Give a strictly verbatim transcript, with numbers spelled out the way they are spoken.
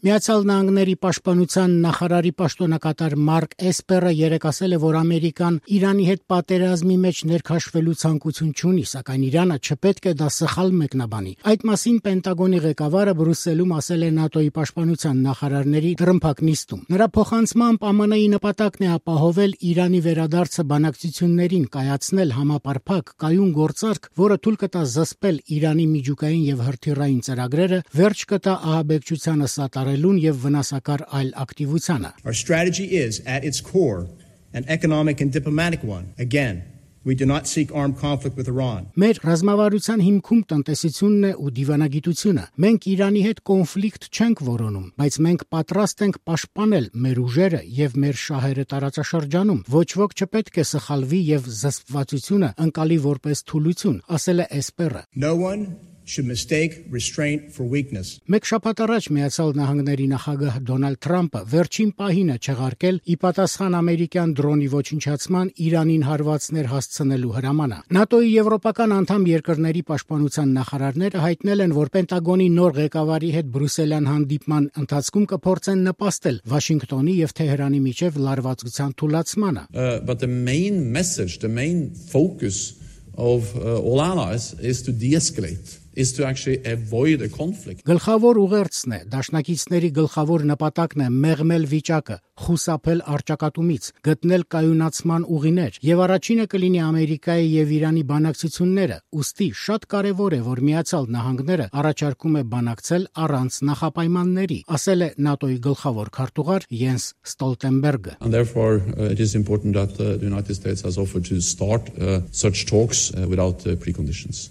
Միացյալ Նահանգների պաշտպանության նախարարի պաշտոնակատար Մարկ Էսպերը երեկ ասել է, որ Ամերիկան Իրանի հետ պատերազմի մեջ ներքաշվելու ցանկություն չունի, սակայն Իրանը չպետք է դա սխալ մեկնաբանի։ Այդ մասին Պենտագոնի ղեկավարը Բրյուսելում ասել է ՆԱՏՕ-ի պաշտպանության նախարարների դռնփակ նիստում։ Նրա փոխանցմամբ ԱՄՆ-ի նպատակն է ապահովել Իրանի վերադարձը բանակցություններին, կայացնել համապարփակ կայուն գործարք, որը թույլ կտա զսպել Իրանի միջուկային եւ հրթիռային ծրագրերը, վերջ կտա ահաբեկչությանը սատարելուն եւ վնասակար այլ ակտիվությանը։ Our strategy is at its core an economic and diplomatic one. Again, we do not seek armed conflict with Iran. Մեր ռազմավարության հիմքում տնտեսությունն է ու դիվանագիտությունը։ Մենք Իրանի հետ կոնֆլիկտ չենք որոնում, բայց մենք պատրաստ ենք պաշտպանել մեր ուժերը եւ մեր շահերը տարածաշրջանում։ Ոչ ոք չպետք է սխալվի եւ զսպվածությունը ընկալի որպես թուլություն, ասել է Էսպերը։ No one should mistake restraint for weakness. Մեկ շաբաթ առաջ Միացյալ Նահանգների նախագահ Դոնալդ Թրամփը վերջին պահին է չեղարկել ի պատասխան ամերիկյան դրոնի ոչնչացման Իրանին հարվածներ հասցնելու հրամանը։ ՆԱՏՕ-ի եվրոպական անդամ երկրների պաշտպանության նախարարները հայտնել են, որ Պենտագոնի նոր ղեկավարի հետ բրյուսելյան հանդիպման ընթացքում կփորձեն նպաստել Վաշինգտոնի եւ Թեհրանի միջև լարվածության թուլացմանը։ Uh, but the main message, the main focus of uh, all allies is to de-escalate. Is to actually avoid a conflict. Գլխավոր ուղերձն է, դաշնակիցների գլխավոր նպատակն է մեղմել վիճակը, խուսափել առճակատումից, գտնել կայունացման ուղիներ, եւ առաջինը կլինի Ամերիկայի եւ Իրանի բանակցությունները։ Ուստի շատ կարեւոր է, որ Միացյալ Նահանգները առաջարկում է բանակցել առանց նախապայմանների, ասել է ՆԱՏՕ-ի գլխավոր քարտուղար Յենս Ստոլտենբերգը։ And therefore uh, it is important that uh, the United States has offered to start uh, such talks uh, without uh, preconditions.